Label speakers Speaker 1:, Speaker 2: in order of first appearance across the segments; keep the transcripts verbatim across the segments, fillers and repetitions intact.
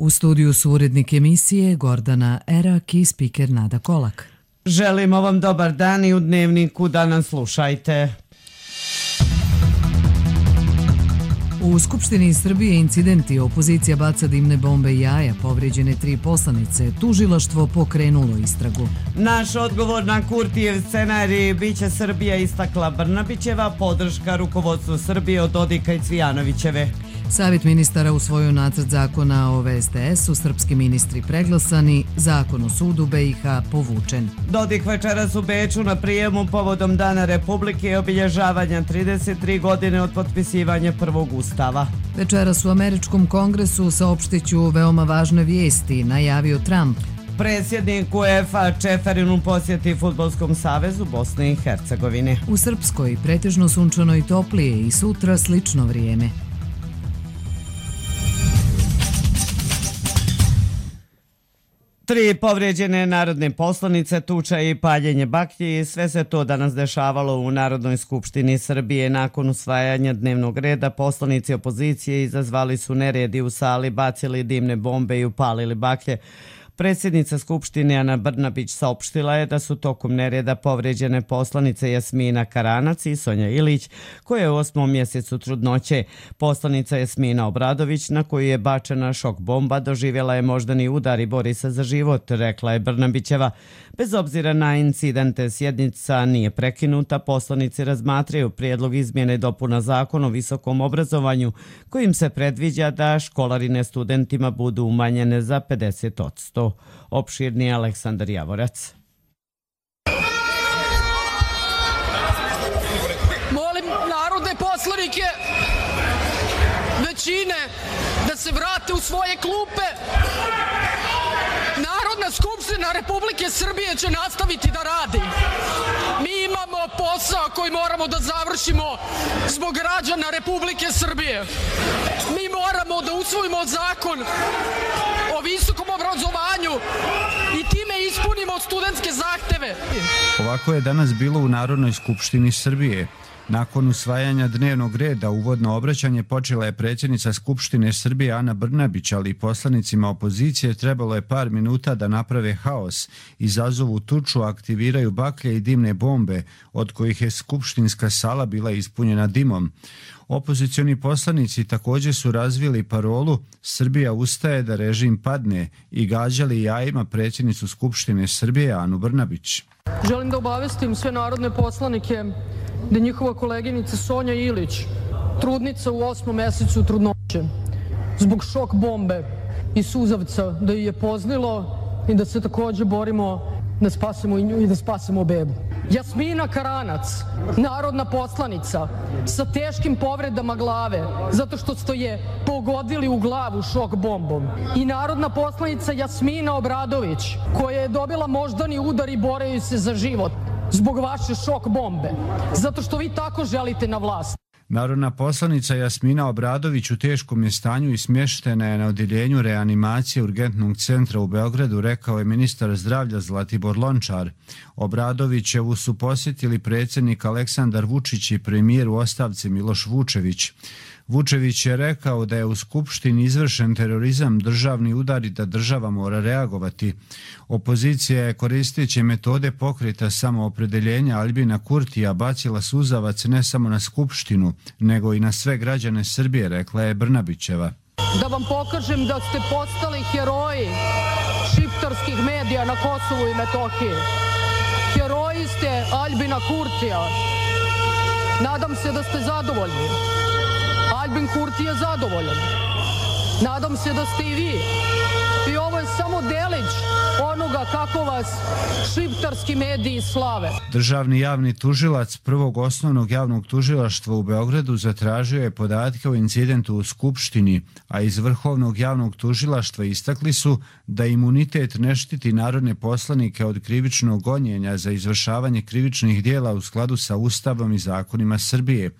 Speaker 1: U studiju su urednik emisije Gordana Erak i spiker Nada Kolak.
Speaker 2: Želimo vam dobar dan i u Dnevniku da nas slušajte.
Speaker 1: U Skupštini Srbije incidenti, opozicija baca dimne bombe i jaja, povrijeđene tri poslanice, tužilaštvo pokrenulo istragu.
Speaker 2: Naš odgovor na Kurtijev scenarij biće Srbija, istakla Brnabićeva, podrška rukovodstvu Srbije od Dodika i Cvijanovićeve.
Speaker 1: Savjet ministara usvojio nacrt zakona o V S T S-u, srpski ministri preglasani, zakon o sudu B i H povučen.
Speaker 2: Dodik večeras u Beču na prijemu povodom Dana Republike i obilježavanja trideset tri godine od potpisivanja prvog ustava.
Speaker 1: Večeras u Američkom kongresu saopštiću veoma važne vijesti, najavio Trump.
Speaker 2: Predsjednik UEFA Čeferin u posjeti Fudbalskom savezu Bosne i Hercegovine.
Speaker 1: U Srpskoj pretežno sunčano i toplije i sutra slično vrijeme.
Speaker 2: Tri povrijeđene narodne poslanice, tuča i paljenje baklji, sve se to danas dešavalo u Narodnoj skupštini Srbije. Nakon usvajanja dnevnog reda, poslanici opozicije izazvali su neredi u sali, bacili dimne bombe i upalili baklje. Predsjednica Skupštine Ana Brnabić saopštila je da su tokom nereda povrijeđene poslanice Jasmina Karanac i Sonja Ilić, koja je u osmom mjesecu trudnoće. Poslanica Jasmina Obradović, na koju je bačena šok bomba, doživjela je moždani udar i bori se za život, rekla je Brnabićeva. Bez obzira na incidente, sjednica nije prekinuta, poslanici razmatraju prijedlog izmjene dopuna zakona o visokom obrazovanju, kojim se predviđa da školarine studentima budu umanjene za pedeset posto. Opširni Aleksandar Javorac.
Speaker 3: Molim narodne poslanike većine da se vrate u svoje klupe. Narodna skupština Republike Srbije će nastaviti da radi. Mi imamo posao koji moramo da završimo zbog građana Republike Srbije. Mi moramo da usvojimo zakon o visokom obrazovanju i time ispunimo studentske zahteve.
Speaker 4: Ovako je danas bilo u Narodnoj skupštini Srbije. Nakon usvajanja dnevnog reda uvodno obraćanje počela je predsjednica Skupštine Srbije Ana Brnabić, ali poslanicima opozicije trebalo je par minuta da naprave haos, izazovu tuču, aktiviraju baklje i dimne bombe, od kojih je skupštinska sala bila ispunjena dimom. Opozicioni poslanici također su razvili parolu "Srbija ustaje da režim padne" i gađali jajima predsjednicu Skupštine Srbije Anu Brnabić.
Speaker 3: Želim da obavestim sve narodne poslanike da njihova koleginica Sonja Ilić, trudnica u osmom mjesecu trudnoće, zbog šok bombe i suzavca da ju je pozlilo i da se također borimo da spasemo i nju i da spasemo bebu. Jasmina Karanac, narodna poslanica sa teškim povredama glave zato što ste je pogodili u glavu šok bombom, i narodna poslanica Jasmina Obradović, koja je dobila moždani udar i boreju se za život zbog vaše šok bombe, zato što vi tako želite na vlast.
Speaker 4: Narodna poslanica Jasmina Obradović u teškom je stanju i smještena je na odjeljenju reanimacije Urgentnog centra u Beogradu, rekao je ministar zdravlja Zlatibor Lončar. Obradovićevu su posjetili predsjednik Aleksandar Vučić i premijer u ostavci Miloš Vučević. Vučević je rekao da je u Skupštini izvršen terorizam, državni udar i da država mora reagovati. Opozicija je koristeći metode pokreta samoopredeljenja Aljbina Kurtija bacila suzavac ne samo na Skupštinu, nego i na sve građane Srbije, rekla je Brnabićeva.
Speaker 3: Da vam pokažem da ste postali heroji šiptarskih medija na Kosovu i Metohiji. Heroji ste Aljbina Kurtija. Nadam se da ste zadovoljni. Aljbin Kurti je zadovoljan. Nadam se da ste i vi. I ovo je samo delić onoga kako vas šiptarski mediji slave.
Speaker 4: Državni javni tužilac Prvog osnovnog javnog tužilaštva u Beogradu zatražio je podatke o incidentu u Skupštini, a iz Vrhovnog javnog tužilaštva istakli su da imunitet ne štiti narodne poslanike od krivičnog gonjenja za izvršavanje krivičnih dijela u skladu sa Ustavom i zakonima Srbije.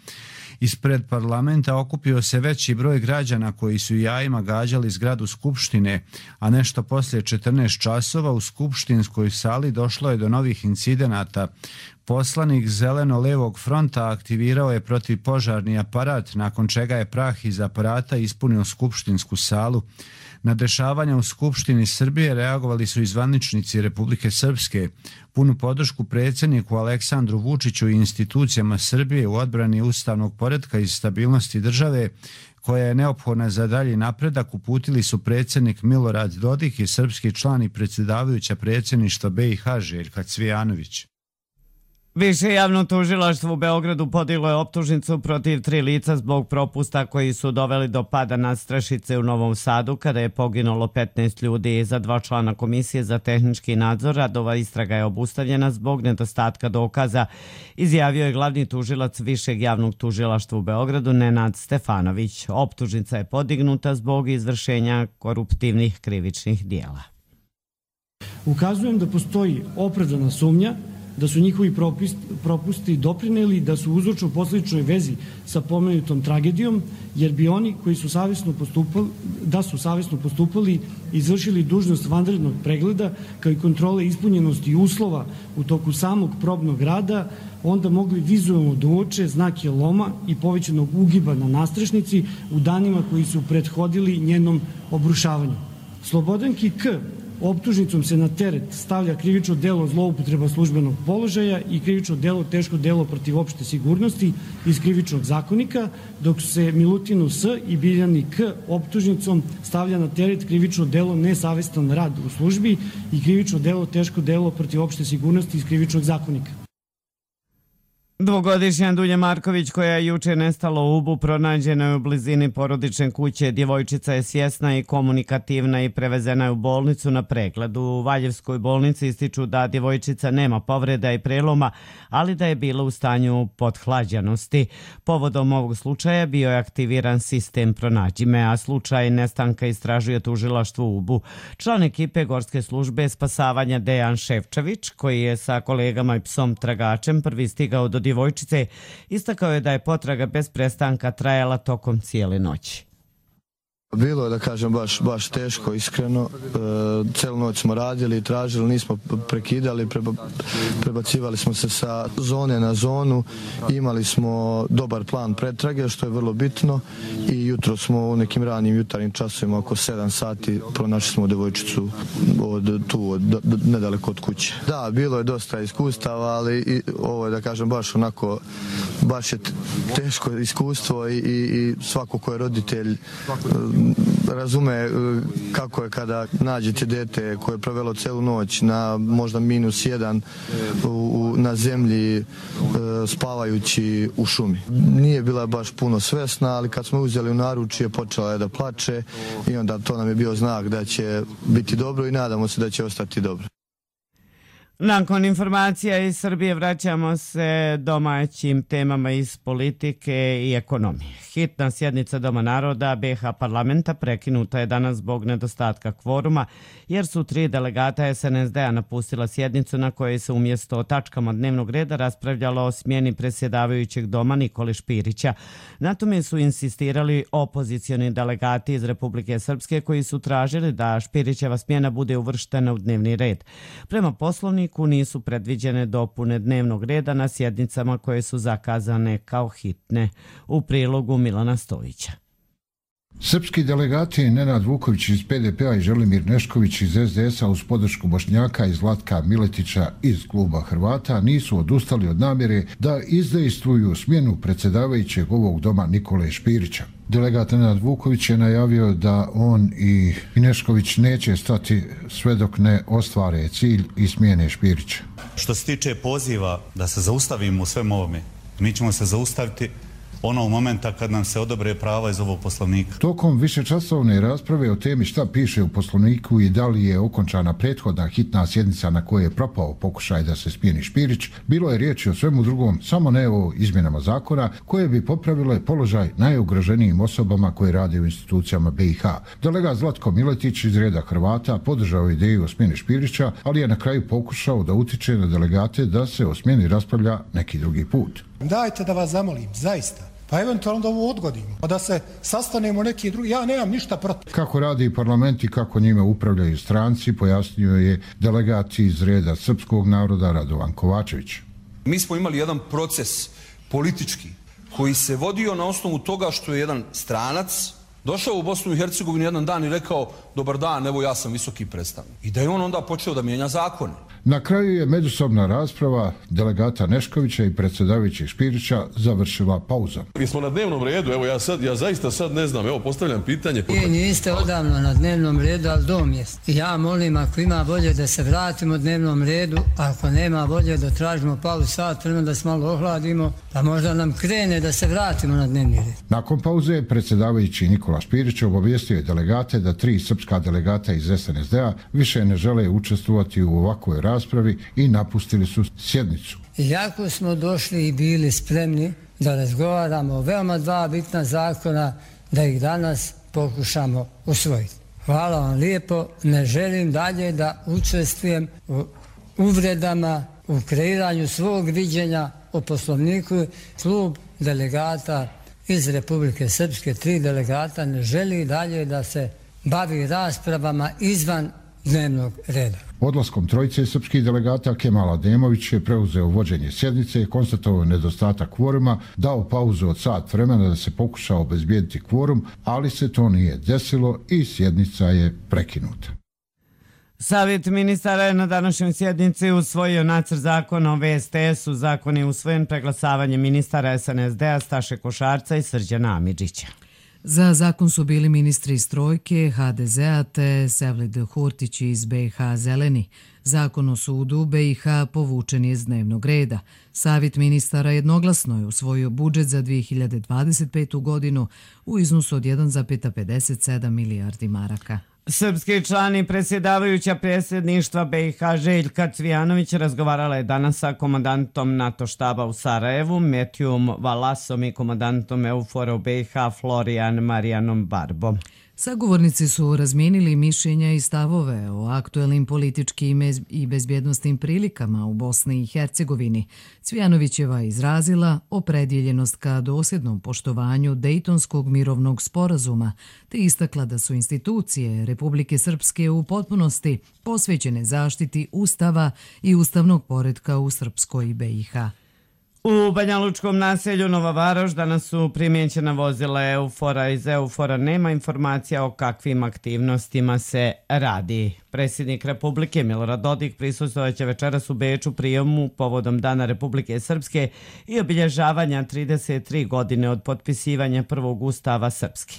Speaker 4: Ispred parlamenta okupio se veći broj građana koji su jajima gađali zgradu Skupštine, a nešto poslije četrnaest časova u skupštinskoj sali došlo je do novih incidenata. Poslanik Zeleno-levog fronta aktivirao je protivpožarni aparat, nakon čega je prah iz aparata ispunio skupštinsku salu. Na dešavanja u Skupštini Srbije reagovali su i zvaničnici Republike Srpske. Punu podršku predsjedniku Aleksandru Vučiću i institucijama Srbije u odbrani ustavnog poretka i stabilnosti države, koja je neophodna za dalji napredak, uputili su predsjednik Milorad Dodik i srpski član i predsjedavajuća predsjedništva B i H Željka Cvijanović.
Speaker 2: Više javno tužilaštvo u Beogradu podiglo je optužnicu protiv tri lica zbog propusta koji su doveli do pada nadstrešnice u Novom Sadu kada je poginulo petnaest ljudi. Za dva člana komisije za tehnički nadzor radova istraga je obustavljena zbog nedostatka dokaza, izjavio je glavni tužilac Višeg javnog tužilaštva u Beogradu Nenad Stefanović. Optužnica je podignuta zbog izvršenja koruptivnih krivičnih dijela.
Speaker 5: Ukazujem da postoji opravdana sumnja da su njihovi propusti doprineli da su u uzročno-posledičnoj vezi sa pomenutom tragedijom, jer bi oni koji su savjesno postupali, da su savjesno postupali i izvršili dužnost vanrednog pregleda kao i kontrole ispunjenosti uslova u toku samog probnog rada, onda mogli vizualno da uoče znake loma i povećanog ugiba na nastrešnici u danima koji su prethodili njenom obrušavanju. Slobodanki K optužnicom se na teret stavlja krivično delo zloupotreba službenog položaja i krivično delo teško delo protiv opšte sigurnosti iz krivičnog zakonika, dok se Milutinu S i Biljani K optužnicom stavlja na teret krivično delo nesavestan rad u službi i krivično delo teško delo protiv opšte sigurnosti iz krivičnog zakonika.
Speaker 2: Dvogodišnja Dunja Marković, koja je juče nestala u Ubu, pronađena je u blizini porodične kuće. Djevojčica je svjesna i komunikativna i prevezena je u bolnicu na pregled. U Valjevskoj bolnici ističu da djevojčica nema povreda i preloma, ali da je bila u stanju pothlađenosti. Povodom ovog slučaja bio je aktiviran sistem Pronađi me, a slučaj nestanka istražuje tužilaštvo u Ubu. Član ekipe Gorske službe spasavanja Dejan Ševčević, koji je sa kolegama i psom tragačem prvi stigao do djevojčice, istakao je da je potraga bez prestanka trajala tokom cijele noći.
Speaker 6: Bilo je, da kažem, baš, baš teško, iskreno. E, celu noć smo radili i tražili, nismo prekidali, preba, prebacivali smo se sa zone na zonu, imali smo dobar plan pretrage, što je vrlo bitno, i jutro smo u nekim ranim jutarnjim časovima, oko sedam sati, pronašli smo devojčicu od, tu, od, nedaleko od kuće. Da, bilo je dosta iskustava, ali i, ovo je, da kažem, baš onako, baš je teško iskustvo i, i, i svako ko je roditelj razume kako je kada nađete dete koje je provelo celu noć na možda minus jedan u, na zemlji spavajući u šumi. Nije bila baš puno svesna, ali kad smo uzeli u naručje počela je da plače i onda to nam je bio znak da će biti dobro i nadamo se da će ostati dobro.
Speaker 2: Nakon informacija iz Srbije vraćamo se domaćim temama iz politike i ekonomije. Hitna sjednica Doma naroda B iH parlamenta prekinuta je danas zbog nedostatka kvoruma, jer su tri delegata S N S D-a napustila sjednicu na kojoj se umjesto o tačkama dnevnog reda raspravljalo o smjeni predsjedavajućeg doma Nikole Špirića. Na tome su insistirali opozicioni delegati iz Republike Srpske koji su tražili da Špirićeva smjena bude uvrštena u dnevni red. Prema poslovniku nisu predviđene dopune dnevnog reda na sjednicama koje su zakazane kao hitne. U prilogu Milana Stojića.
Speaker 7: Srpski delegati Nenad Vuković iz P D P-a i Želimir Nešković iz S D S-a uz podršku Bošnjaka i Zlatka Miletića iz kluba Hrvata nisu odustali od namjere da izdejstvuju smjenu predsjedavajućeg ovog doma Nikole Špirića. Delegat Nenad Vuković je najavio da on i Nešković neće stati sve dok ne ostvare cilj i smjene Špirića.
Speaker 8: Što se tiče poziva da se zaustavimo u svem ovome, mi ćemo se zaustaviti onog momenta kad nam se odobre prava iz ovog poslovnika.
Speaker 7: Tokom višečasovne rasprave o temi šta piše u poslovniku i da li je okončana prethodna hitna sjednica na kojoj je propao pokušaj da se smijeni Špirić, bilo je riječi o svemu drugom, samo ne o izmjenama zakona koje bi popravile položaj najugroženijim osobama koje rade u institucijama B iH. Delegat Zlatko Miletić iz reda Hrvata podržao ideju o smjeni Špirića, ali je na kraju pokušao da utiče na delegate da se o smjeni raspravlja neki drugi put.
Speaker 9: Dajte da vas zamolim, zaista. Pa eventualno da ovo odgodimo, pa da se sastanemo neki drugi, ja nemam ništa protiv.
Speaker 7: Kako radi parlament i kako njime upravljaju stranci, pojasnio je delegat iz reda srpskog naroda Radovan Kovačević.
Speaker 10: Mi smo imali jedan proces politički koji se vodio na osnovu toga što je jedan stranac došao u Bosnu i Hercegovinu jedan dan i rekao dobar dan, evo ja sam visoki predstavnik. I da je on onda počeo da mijenja zakone.
Speaker 7: Na kraju je međusobna rasprava delegata Neškovića i predsjedavajućeg Špirića završila pauzom.
Speaker 11: Mi smo na dnevnom redu, evo ja sad, ja zaista sad ne znam, evo postavljam pitanje.
Speaker 12: Vi niste odavno na dnevnom redu, ali dom jest. Ja molim, ako ima volje da se vratimo dnevnom redu, ako nema volje da tražimo pauzu sat vremena da se malo ohladimo, pa možda nam krene da se vratimo na dnevni red.
Speaker 7: Nakon pauze predsjedavajući Nikola Špirić obavijestio je delegate da tri srpska delegata iz S N S D-a više ne žele učestvovati u ovakvoj raspravi i napustili su sjednicu.
Speaker 12: Iako smo došli i bili spremni da razgovaramo o veoma dva bitna zakona, da ih danas pokušamo usvojiti. Hvala vam lijepo, ne želim dalje da učestvujem u uvredama, u kreiranju svog viđenja o Poslovniku. Klub delegata iz Republike Srpske, tri delegata, ne želi dalje da se bavi raspravama izvan dnevnog reda.
Speaker 7: Odlaskom trojice srpskih delegata Kemal Ademović je preuzeo vođenje sjednice, konstatovao nedostatak kvoruma, dao pauzu od sat vremena da se pokuša obezbijediti kvorum, ali se to nije desilo i sjednica je prekinuta.
Speaker 2: Savjet ministara je na današnjoj sjednici usvojio nacrt zakona o V S T S-u. Zakon je usvojen preglasavanjem ministara S N S D-a Staše Košarca i Srđana Amidžića.
Speaker 1: Za zakon su bili ministri iz Trojke, H D Z-a te Sevlid Hurtić iz B i H Zeleni. Zakon o sudu B i H povučen je iz dnevnog reda. Savjet ministara jednoglasno je usvojio budžet za dvije hiljade dvadeset petu. godinu u iznosu od jedan zarez pedeset sedam milijardi maraka.
Speaker 2: Srpski član i predsjedavajuća predsjedništva B i H Željka Cvijanović razgovarala je danas sa komandantom NATO štaba u Sarajevu, Metijom Valasom i komandantom EUFOR-a u B i H Florijan Marijanom Barbom.
Speaker 1: Sagovornici su razmijenili mišljenja i stavove o aktuelnim političkim i bezbjednostnim prilikama u Bosni i Hercegovini. Cvijanovićeva izrazila opredjeljenost ka dosljednom poštovanju Dejtonskog mirovnog sporazuma, te istakla da su institucije Republike Srpske u potpunosti posvećene zaštiti Ustava i ustavnog poretka u Srpskoj B i H.
Speaker 2: U banjalučkom naselju Nova Varoš danas su primjećena vozila EUFOR-a. Iz EUFOR-a nema informacija o kakvim aktivnostima se radi. Predsjednik Republike Milorad Dodik prisustvovaće večeras u Beču prijemu povodom Dana Republike Srpske i obilježavanja trideset tri godine od potpisivanja prvog Ustava Srpske.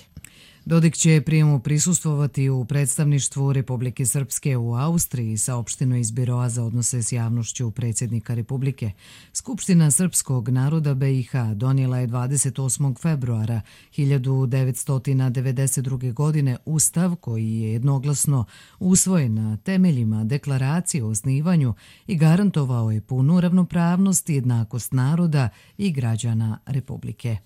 Speaker 1: Dodik će prijemu prisustvovati u predstavništvu Republike Srpske u Austriji, saopšteno iz Biroa za odnose s javnošću predsjednika Republike. Skupština srpskog naroda B i H donijela je dvadeset osmog februara hiljadu devetsto devedeset druge. godine Ustav koji je jednoglasno usvojen na temeljima deklaracije o osnivanju i garantovao je punu ravnopravnost i jednakost naroda i građana Republike.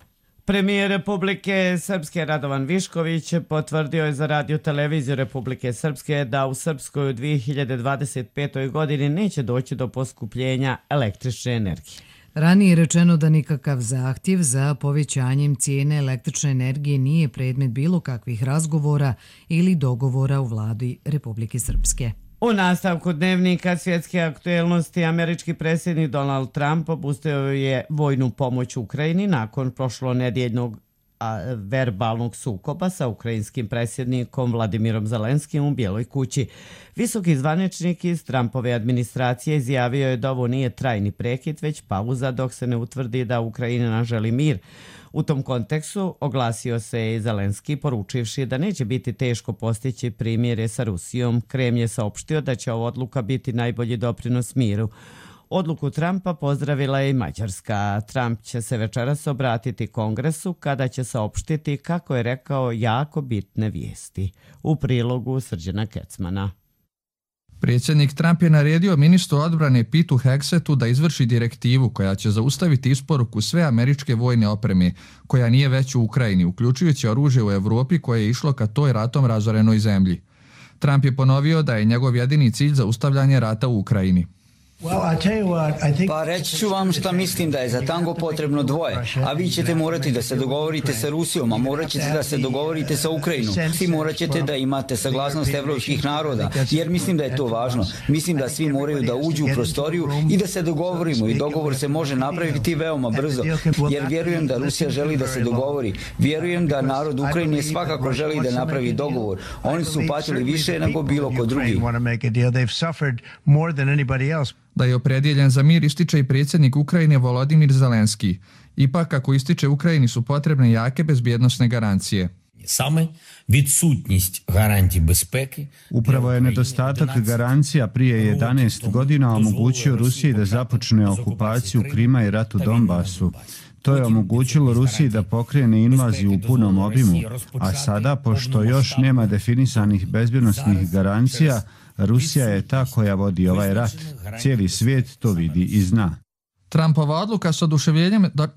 Speaker 2: Premijer Republike Srpske Radovan Višković potvrdio je za radio televiziju Republike Srpske da u Srpskoj u dvije hiljade dvadeset petoj. godini neće doći do poskupljenja električne energije.
Speaker 1: Ranije je rečeno da nikakav zahtjev za povećanjem cijene električne energije nije predmet bilo kakvih razgovora ili dogovora u vladi Republike Srpske.
Speaker 2: U nastavku dnevnika svjetske aktuelnosti američki predsjednik Donald Trump opustio je vojnu pomoć Ukrajini nakon prošlonedjeljnog verbalnog sukoba sa ukrajinskim predsjednikom Vladimirom Zelenskim u Bijeloj kući. Visoki zvaničnik iz Trumpove administracije izjavio je da ovo nije trajni prekid, već pauza dok se ne utvrdi da Ukrajina želi mir. U tom kontekstu oglasio se i Zelenski, poručivši da neće biti teško postići primirje sa Rusijom. Kremlj je saopštio da će ova odluka biti najbolji doprinos miru. Odluku Trumpa pozdravila je i Mađarska. Trump će se večeras obratiti Kongresu kada će saopštiti, kako je rekao, jako bitne vijesti. U prilogu Srđana Kecmana.
Speaker 13: Predsjednik Trump je naredio ministru odbrane Pitu Hegsetu da izvrši direktivu koja će zaustaviti isporuku sve američke vojne opreme koja nije već u Ukrajini, uključujući oružje u Evropi koje je išlo ka toj ratom razorenoj zemlji. Trump je ponovio da je njegov jedini cilj zaustavljanje rata u Ukrajini.
Speaker 14: Pa reći ću vam šta mislim da je za tango potrebno dvoje, a vi ćete morati da se dogovorite sa Rusijom, a morat ćete da se dogovorite sa Ukrajinom. Svi morat ćete da imate saglasnost evropskih naroda, jer mislim da je to važno. Mislim da svi moraju da uđu u prostoriju i da se dogovorimo i dogovor se može napraviti veoma brzo, jer vjerujem da Rusija želi da se dogovori. Vjerujem da narod Ukrajine svakako želi da napravi dogovor. Oni su patili više nego bilo ko drugi.
Speaker 13: Da je opredjeljen za mir ističe i predsjednik Ukrajine Volodimir Zelenski. Ipak, kako ističe Ukrajini, su potrebne jake bezbjednosne garancije.
Speaker 15: Same відсутність гарантій безпеки.
Speaker 4: Upravo je nedostatak garancija prije jedanaest godina omogućio Rusiji da započne okupaciju Krima i rat u Donbasu. To je omogućilo Rusiji da pokrene invaziju u punom obimu, a sada, pošto još nema definisanih bezbjednosnih garancija, Rusija je ta koja vodi ovaj rat. Cijeli svijet to vidi i zna.
Speaker 13: Trumpova odluka s oduševljenjem do...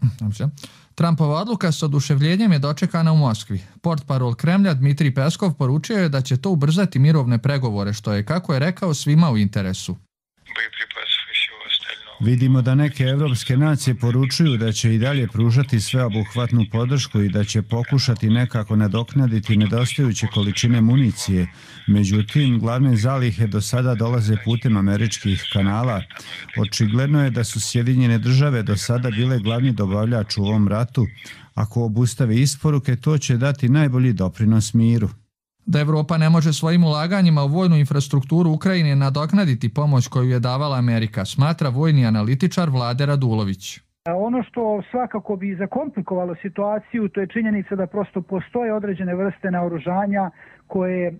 Speaker 13: Trumpova odluka s oduševljenjem je dočekana u Moskvi. Portparol Kremlja Dmitrij Peskov poručio je da će to ubrzati mirovne pregovore, što je, kako je rekao, svima u interesu.
Speaker 4: Vidimo da neke evropske nacije poručuju da će i dalje pružati sveobuhvatnu podršku i da će pokušati nekako nadoknaditi nedostajuće količine municije. Međutim, glavne zalihe do sada dolaze putem američkih kanala. Očigledno je da su Sjedinjene države do sada bile glavni dobavljač u ovom ratu. Ako obustave isporuke, to će dati najbolji doprinos miru.
Speaker 13: Da Evropa ne može svojim ulaganjima u vojnu infrastrukturu Ukrajine nadoknaditi pomoć koju je davala Amerika, smatra vojni analitičar Vlade Radulović.
Speaker 16: Ono što svakako bi zakomplikovalo situaciju, to je činjenica da prosto postoje određene vrste naoružanja koje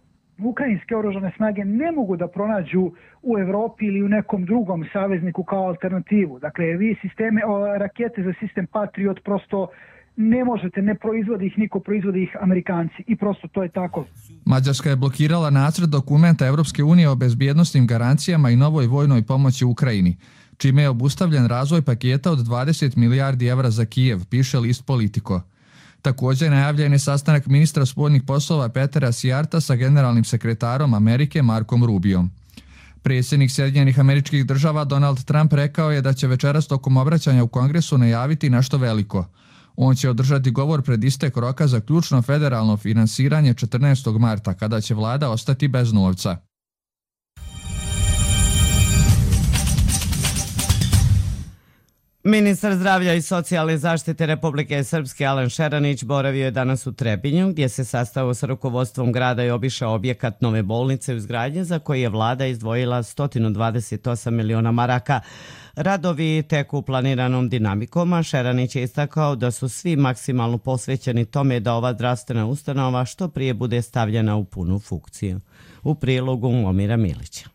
Speaker 16: ukrajinske oružane snage ne mogu da pronađu u Evropi ili u nekom drugom savezniku kao alternativu. Dakle, vi sisteme, rakete za sistem Patriot prosto ne možete, ne proizvodi ih niko, proizvodi ih Amerikanci i prosto to je tako.
Speaker 13: Mađarska je blokirala nacrt dokumenta Evropske unije o bezbjednosnim garancijama i novoj vojnoj pomoći Ukrajini, čime je obustavljen razvoj paketa od dvadeset milijardi evra za Kijev, piše list Politico. Također najavljen je sastanak ministra spoljnih poslova Petera Sijarta sa generalnim sekretarom Amerike Markom Rubijom. Predsjednik Sjedinjenih Američkih Država Donald Trump rekao je da će večeras tokom obraćanja u Kongresu najaviti nešto veliko. On će održati govor pred istek roka za ključno federalno finansiranje četrnaestog marta, kada će vlada ostati bez novca.
Speaker 2: Ministar zdravlja i socijalne zaštite Republike Srpske Alen Šeranić boravio je danas u Trebinju, gdje se sastao sa rukovodstvom grada i obišao objekat nove bolnice u izgradnji za koji je vlada izdvojila sto dvadeset osam miliona maraka. Radovi teku planiranom dinamikom, a Šeranić je istakao da su svi maksimalno posvećeni tome da ova zdravstvena ustanova što prije bude stavljena u punu funkciju. U prilogu Momira Milića.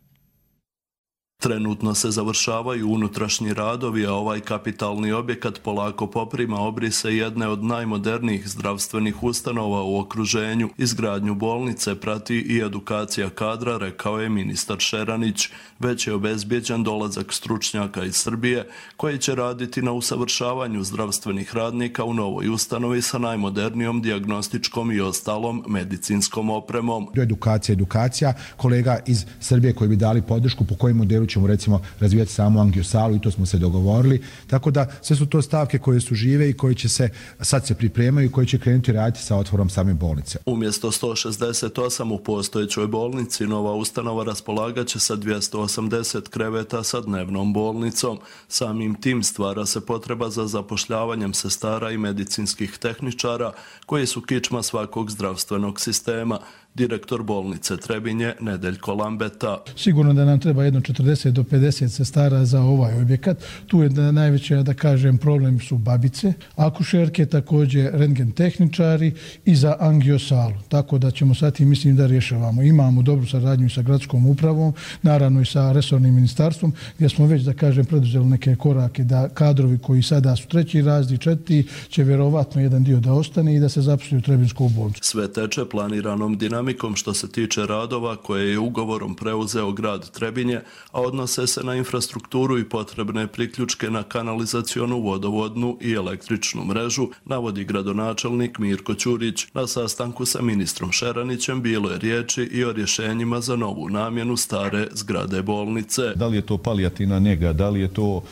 Speaker 17: Trenutno se završavaju unutrašnji radovi, a ovaj kapitalni objekat polako poprima obrise jedne od najmodernijih zdravstvenih ustanova u okruženju. Izgradnju bolnice prati i edukacija kadra, rekao je ministar Šeranić. Već je obezbijeđen dolazak stručnjaka iz Srbije koji će raditi na usavršavanju zdravstvenih radnika u novoj ustanovi sa najmodernijom dijagnostičkom i ostalom medicinskom opremom.
Speaker 18: Edukacija, edukacija, kolega iz Srbije koji bi dali podršku po kojim modelu ćemo recimo razvijati samu angiosalu i to smo se dogovorili. Tako da sve su to stavke koje su žive i koje će se, sad se pripremaju i koje će krenuti raditi sa otvorom same bolnice.
Speaker 17: Umjesto sto šezdeset osam u postojećoj bolnici, nova ustanova raspolagaće sa dvjesto osamdeset kreveta sa dnevnom bolnicom. Samim tim stvara se potreba za zapošljavanjem sestara i medicinskih tehničara koji su kičma svakog zdravstvenog sistema. Direktor bolnice Trebinje Nedeljko Lambeta.
Speaker 19: Sigurno da nam treba jedno četrdeset do pedeset sestara za ovaj objekat. Tu je da najveće, da kažem, problem su babice, akušerke, također rentgen tehničari i za angiosalu. Tako da ćemo sad i mislim da rješavamo. Imamo dobru saradnju sa gradskom upravom, naravno i sa resornim ministarstvom, gdje smo već, da kažem, preduzeli neke korake da kadrovi koji sada su treći razdi, četiri, će vjerovatno jedan dio da ostane i da se zaposli u Trebinsku bolnicu.
Speaker 17: Sve teče planiranom dinamikom dinamikom što se tiče radova koje je ugovorom preuzeo grad Trebinje, a odnose se na infrastrukturu i potrebne priključke na kanalizacionu, vodovodnu i električnu mrežu, navodi gradonačelnik Mirko Ćurić. Na sastanku sa ministrom Šeranićem bilo je riječi i o rješenjima za novu namjenu stare zgrade bolnice.
Speaker 20: Da li je to palijativna njega, da li je to uh,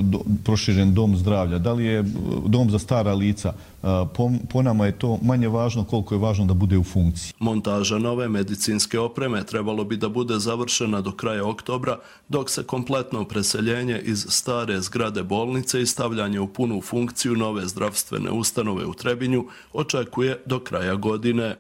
Speaker 20: do, proširen dom zdravlja, da li je dom za stara lica, uh, po, po nama je to manje važno koliko je važno da bude u funkciji.
Speaker 17: Montaža nove medicinske opreme trebalo bi da bude završena do kraja oktobra, dok se kompletno preseljenje iz stare zgrade bolnice i stavljanje u punu funkciju nove zdravstvene ustanove u Trebinju očekuje do kraja godine.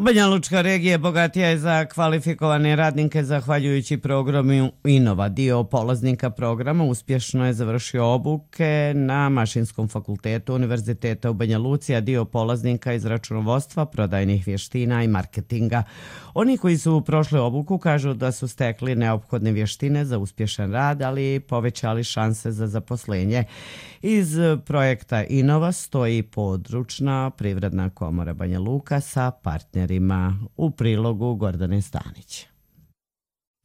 Speaker 2: Banja Lučka regija bogatija je za kvalifikovane radnike zahvaljujući programu Inova. Dio polaznika programa uspješno je završio obuke na Mašinskom fakultetu Univerziteta u Banja Luci, a dio polaznika iz računovodstva, prodajnih vještina i marketinga. Oni koji su prošli obuku kažu da su stekli neophodne vještine za uspješan rad, ali i povećali šanse za zaposlenje. Iz projekta Inova stoji područna privredna komora Banja Luka sa partnerima. U prilogu Gordane Stanić.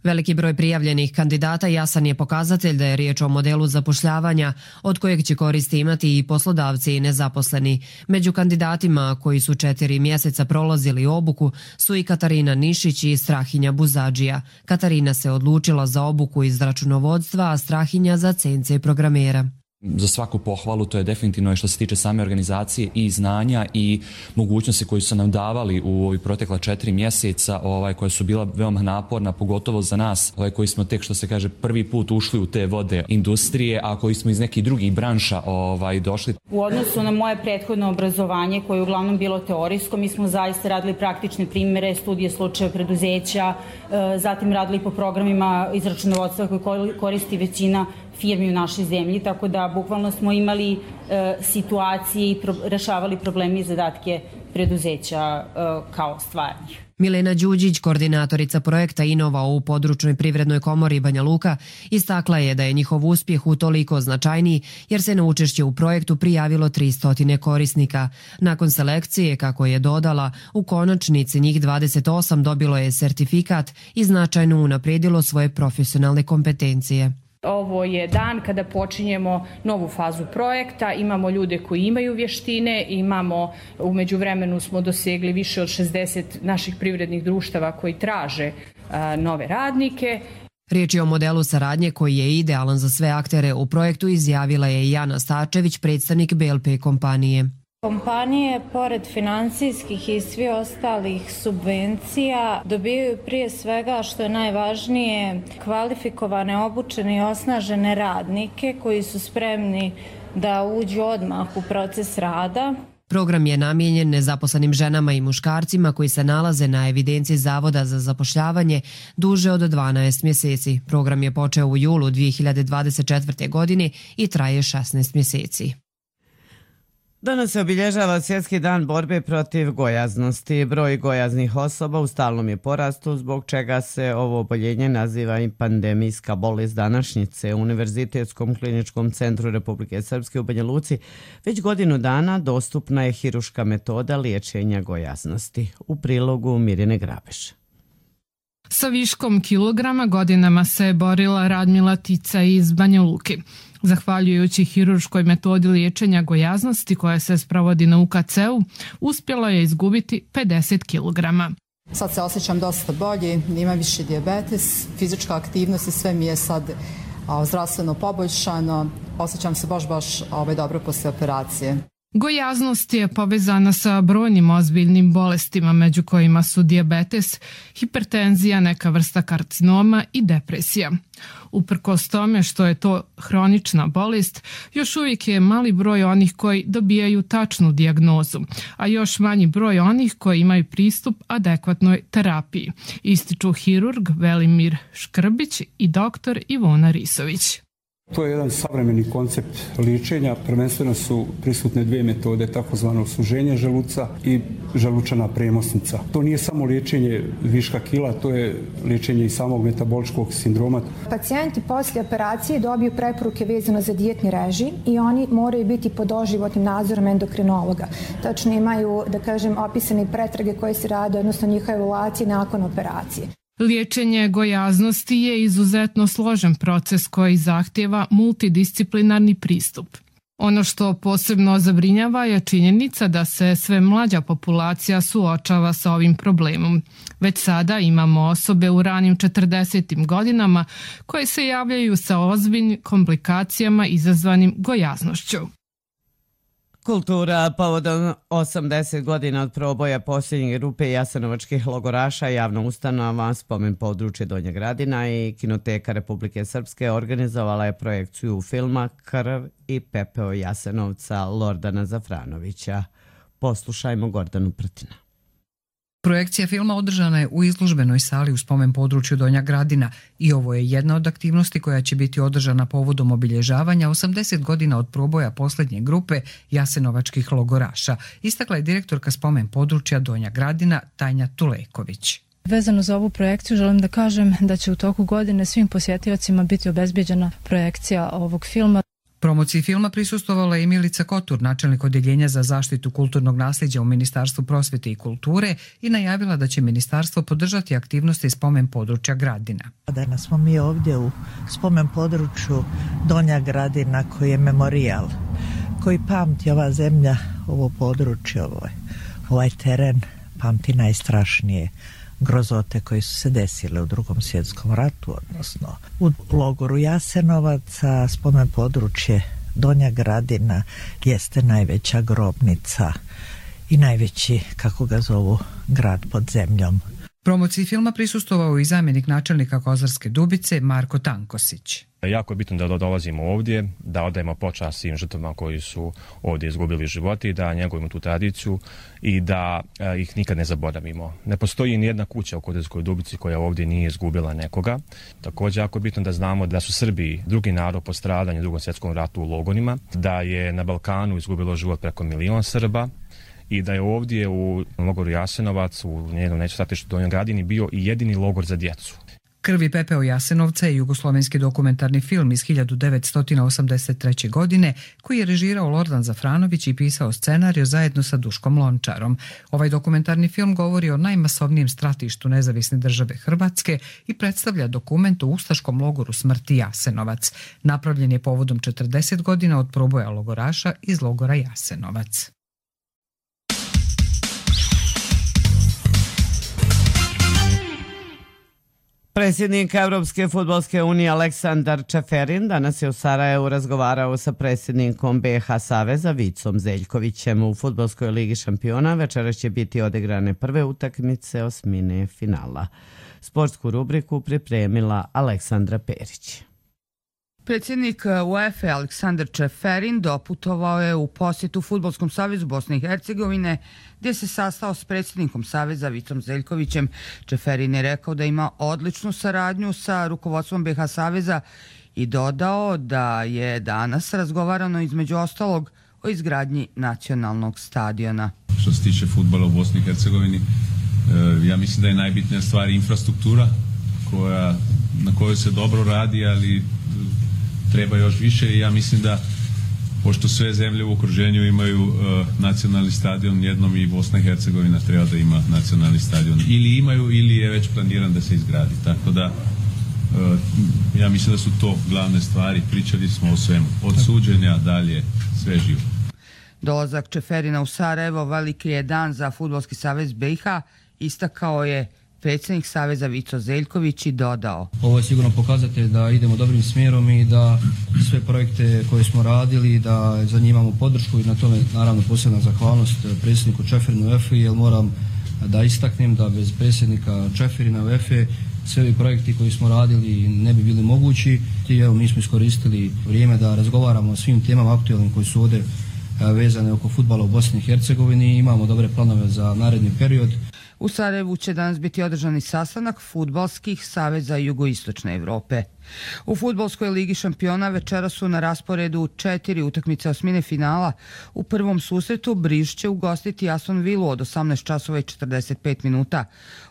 Speaker 21: Veliki broj prijavljenih kandidata jasan je pokazatelj da je riječ o modelu zapošljavanja od kojeg će koristi imati i poslodavci i nezaposleni. Među kandidatima koji su četiri mjeseca prolazili obuku su i Katarina Nišić i Strahinja Buzadžija. Katarina se odlučila za obuku iz računovodstva, a Strahinja za C N C programera.
Speaker 22: Za svaku pohvalu, to je definitivno što se tiče same organizacije i znanja i mogućnosti koje su nam davali u ovih protekla četiri mjeseca, ovaj, koja su bila veoma naporna, pogotovo za nas ovaj, koji smo tek, što se kaže, prvi put ušli u te vode industrije, a koji smo iz nekih drugih branša ovaj, došli.
Speaker 23: U odnosu na moje prethodno obrazovanje, koje je uglavnom bilo teorijsko, mi smo zaista radili praktične primjere, studije slučaja preduzeća, zatim radili po programima iz računovodstva koje koristi većina firmi u našoj zemlji, tako da bukvalno smo imali e, situacije i pro, rešavali problemi i zadatke preduzeća e, kao stvarnih.
Speaker 21: Milena Đuđić, koordinatorica projekta Inova u područnoj privrednoj komori Banja Luka, istakla je da je njihov uspjeh utoliko značajniji jer se na učešće u projektu prijavilo tristo korisnika. Nakon selekcije, kako je dodala, u konačnici njih dvadeset osam dobilo je sertifikat i značajno unaprijedilo svoje profesionalne kompetencije.
Speaker 24: Ovo je dan kada počinjemo novu fazu projekta, imamo ljude koji imaju vještine, imamo, u međuvremenu smo dosegli više od šezdeset naših privrednih društava koji traže a, nove radnike.
Speaker 21: Riječ je o modelu saradnje koji je idealan za sve aktere u projektu, izjavila je Jana Stačević, predstavnik B L P kompanije.
Speaker 25: Kompanije, pored financijskih i svi ostalih subvencija, dobijaju prije svega, što je najvažnije, kvalifikovane, obučene i osnažene radnike koji su spremni da uđu odmah u proces rada.
Speaker 21: Program je namijenjen nezaposlenim ženama i muškarcima koji se nalaze na evidenciji Zavoda za zapošljavanje duže od dvanaest mjeseci. Program je počeo u julu dvije hiljade dvadeset četvrte. godine i traje šesnaest mjeseci.
Speaker 2: Danas se obilježava Svjetski dan borbe protiv gojaznosti. Broj gojaznih osoba u stalnom je porastu, zbog čega se ovo oboljenje naziva i pandemijska bolest današnjice. U Univerzitetskom kliničkom centru Republike Srpske u Banja Luci već godinu dana dostupna je hiruška metoda liječenja gojaznosti. U prilogu Mirjane Grabeš.
Speaker 26: Sa viškom kilograma godinama se borila Radmila Tica iz Banja Luke. Zahvaljujući hirurškoj metodi liječenja gojaznosti koja se sprovodi na U K C-u, uspjela je izgubiti pedeset kilograma.
Speaker 27: Sad se osjećam dosta bolje, imam više dijabetes, fizička aktivnost i sve mi je sad a, zdravstveno poboljšano, osjećam se baš baš ovaj, dobro poslije operacije.
Speaker 26: Gojaznost je povezana sa brojnim ozbiljnim bolestima, među kojima su dijabetes, hipertenzija, neka vrsta karcinoma i depresija. Uprkos tome što je to hronična bolest, još uvijek je mali broj onih koji dobijaju tačnu dijagnozu, a još manji broj onih koji imaju pristup adekvatnoj terapiji, ističu hirurg Velimir Škrbić i doktor Ivona Risović.
Speaker 3: To je jedan savremeni koncept liječenja. Prvenstveno su prisutne dvije metode, takozvano suženje želuca i želučana premosnica. To nije samo liječenje viška kila, to je liječenje i samog metaboličkog sindroma.
Speaker 5: Pacijenti poslije operacije dobiju preporuke vezano za dijetni režim i oni moraju biti pod doživotnim nadzorom endokrinologa. Tačno imaju, da kažem, opisane pretrage koje se rade, odnosno njihove evaluacije nakon operacije.
Speaker 26: Liječenje gojaznosti je izuzetno složen proces koji zahtjeva multidisciplinarni pristup. Ono što posebno zabrinjava je činjenica da se sve mlađa populacija suočava sa ovim problemom. Već sada imamo osobe u ranim četrdesetim godinama koje se javljaju sa ozbiljnim komplikacijama izazvanim gojaznošću.
Speaker 2: Kultura povodom osamdeset godina od proboja posljednje grupe jasenovačkih logoraša, javna ustanova Spomen područje Donja Gradina i Kinoteka Republike Srpske organizovala je projekciju filma Krv i pepeo Jasenovca Lordana Zafranovića. Poslušajmo Gordanu Prtina.
Speaker 6: Projekcija filma održana je u izložbenoj sali u Spomen području Donja Gradina i ovo je jedna od aktivnosti koja će biti održana povodom obilježavanja osamdeset godina od proboja posljednje grupe jasenovačkih logoraša, istakla je direktorka Spomen područja Donja Gradina Tanja Tuleković.
Speaker 8: Vezano za ovu projekciju želim da kažem da će u toku godine svim posjetiocima biti obezbijeđena projekcija ovog filma.
Speaker 6: Promociji filma prisustvovala je Milica Kotur, načelnik odjeljenja za zaštitu kulturnog nasljeđa u Ministarstvu prosvjete i kulture i najavila da će ministarstvo podržati aktivnosti Spomen područja Gradina.
Speaker 9: Danas smo mi ovdje u Spomen području Donja Gradina koji je memorijal, koji pamti ova zemlja, ovo područje, ovaj, ovaj teren, pamti najstrašnije grozote koje su se desile u Drugom svjetskom ratu, odnosno u logoru Jasenovaca. Spomen područje Donja Gradina jeste najveća grobnica i najveći, kako ga zovu, grad pod zemljom.
Speaker 6: Promociji filma prisustvovao i zamjenik načelnika Kozarske Dubice Marko Tankosić.
Speaker 10: Jako je bitno da dolazimo ovdje, da odajemo počast svim žrtvama koji su ovdje izgubili živote i da njegovimo tu tradiciju i da e, ih nikad ne zaboravimo. Ne postoji ni jedna kuća u Kozarskoj Dubici koja ovdje nije izgubila nekoga. Također jako je bitno da znamo da su Srbi drugi narod po stradanju u Drugom svjetskom ratu u logonima, da je na Balkanu izgubilo život preko milion Srba i da je ovdje u logoru Jasenovac, u njenom neću stratištu Donjoj Gradini, bio i jedini logor za djecu.
Speaker 6: Krv i pepeo Jasenovca je jugoslovenski dokumentarni film iz hiljadu devetsto osamdeset treće. godine koji je režirao Lordan Zafranović i pisao scenariju zajedno sa Duškom Lončarom. Ovaj dokumentarni film govori o najmasovnijem stratištu nezavisne države Hrvatske i predstavlja dokument o ustaškom logoru smrti Jasenovac. Napravljen je povodom četrdeset godina od proboja logoraša iz logora Jasenovac.
Speaker 2: Predsjednik Evropske fudbalske unije Aleksandar Čeferin danas je u Sarajevu razgovarao sa predsjednikom B iH Saveza Vicom Zeljkovićem. U fudbalskoj ligi šampiona večeras će biti odigrane prve utakmice osmine finala. Sportsku rubriku pripremila Aleksandra Perić.
Speaker 11: Predsjednik UEFA Aleksandar Čeferin doputovao je u posjetu Fudbalskom savezu Bosne i Hercegovine gdje se sastao s predsjednikom Saveza Vicom Zeljkovićem. Čeferin je rekao da ima odličnu saradnju sa rukovodstvom B iH Saveza i dodao da je danas razgovarano između ostalog o izgradnji nacionalnog stadiona.
Speaker 28: Što se tiče fudbala u Bosni i Hercegovini, ja mislim da je najbitnija stvar infrastruktura koja, na kojoj se dobro radi, ali treba još više i ja mislim da pošto sve zemlje u okruženju imaju uh, nacionalni stadion, jednom i Bosna i Hercegovina treba da ima nacionalni stadion. Ili imaju ili je već planiran da se izgradi. Tako da uh, ja mislim da su to glavne stvari. Pričali smo o svemu. Od suđenja dalje sve živo.
Speaker 11: Dolazak Čeferina u Sarajevo veliki je dan za Fudbalski savez B iH, istakao je predsjednik Saveza Vico Zeljković i dodao.
Speaker 29: Ovo je sigurno pokazatelj da idemo dobrim smjerom i da sve projekte koje smo radili, da za njih imamo podršku i na tome naravno posebna zahvalnost predsjedniku Čeferinu U E F I, jer moram da istaknem da bez predsjednika Čeferina U E F I sve ovi projekti koji smo radili ne bi bili mogući. I evo mi smo iskoristili vrijeme da razgovaramo o svim temama aktualnim koji su ovdje vezane oko fudbala u Bosni i Hercegovini i imamo dobre planove za naredni period.
Speaker 11: U Sarajevu će danas biti održani sastanak fudbalskih saveza jugoistočne Evrope. U fudbalskoj ligi šampiona večera su na rasporedu četiri utakmice osmine finala. U prvom susretu Briž će ugostiti Aston Villu od osamnaest časova i četrdeset pet minuta.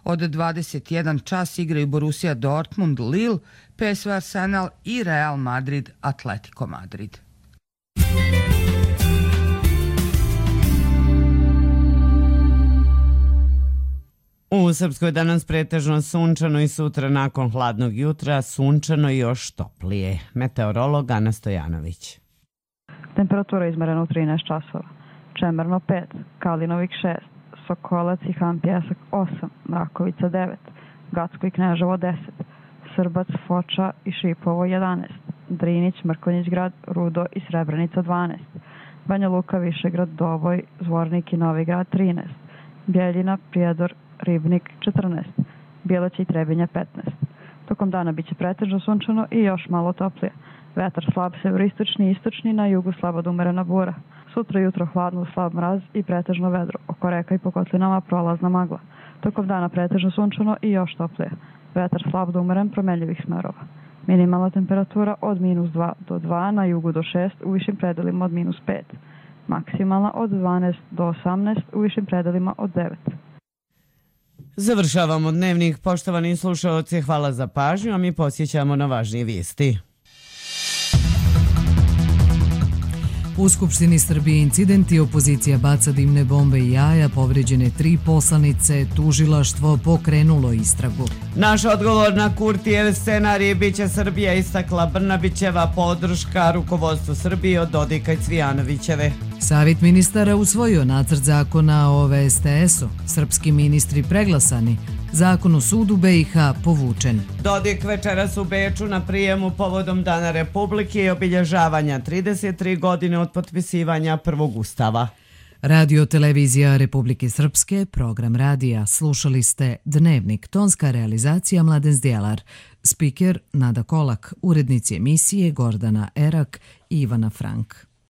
Speaker 11: Od dvadeset jedan čas igraju Borussia Dortmund, Lille, P S V Arsenal i Real Madrid, Atletico Madrid.
Speaker 2: U Srpskoj danas pretežno sunčano i sutra nakon hladnog jutra sunčano i još toplije. Meteorolog Ana Stojanović.
Speaker 1: Temperatura izmerena u trinaest časova. Čemerno pet, Kalinovik šest, Sokolac i Han Pjesak osam, Mrakovica devet, Gacko i Kneževo deset, Srbac, Foča i Šipovo jedanaest, Drinić, Mrkonjić grad, Rudo i Srebrenica dvanaest, Banja Luka, Višegrad, Doboj, Zvornik i Novi grad trinaest, Bjeljina, Prijedor, Ribnik četrnaest, Bjelaća i Trebinja petnaest. Tokom dana biće pretežno sunčano i još malo toplije. Vetar slab severistočni i istočni, na jugu slabo do umerena bura. Sutra jutro hladno, slab mraz i pretežno vedro. Oko reka i po kotlinama prolazna magla. Tokom dana pretežno sunčano i još toplije. Vetar slab do umeren, promenljivih smerova. Minimalna temperatura od minus dva do dva, na jugu do šest, u višim predelima od minus pet. Maksimalna od dvanaest do osamnaest, u višim predelima od devet.
Speaker 2: Završavamo dnevnik, poštovani slušalci, hvala za pažnju, a mi posjećamo na važnije vijesti.
Speaker 6: U Skupštini Srbije incidenti, opozicija baca dimne bombe i jaja, povređene tri poslanice, tužilaštvo pokrenulo istragu.
Speaker 2: Naš odgovor na Kurtijev scenarij biće Srbija, istakla Brnabićeva, podrška rukovodstvu Srbije od Dodika i Cvijanovićeve.
Speaker 6: Savjet ministara usvojio nacrt zakona o V S T S-u. Srpski ministri preglasani. Zakon o sudu B i H povučen.
Speaker 2: Dodik večeras u Beču na prijemu povodom Dana Republike i obilježavanja trideset tri godine od potpisivanja prvog ustava.
Speaker 6: Radio Televizija Republike Srpske, program radija. Slušali ste Dnevnik, tonska realizacija Mladen Zdjelar. Spiker Nada Kolak, urednici emisije Gordana Erak i Ivana Frank.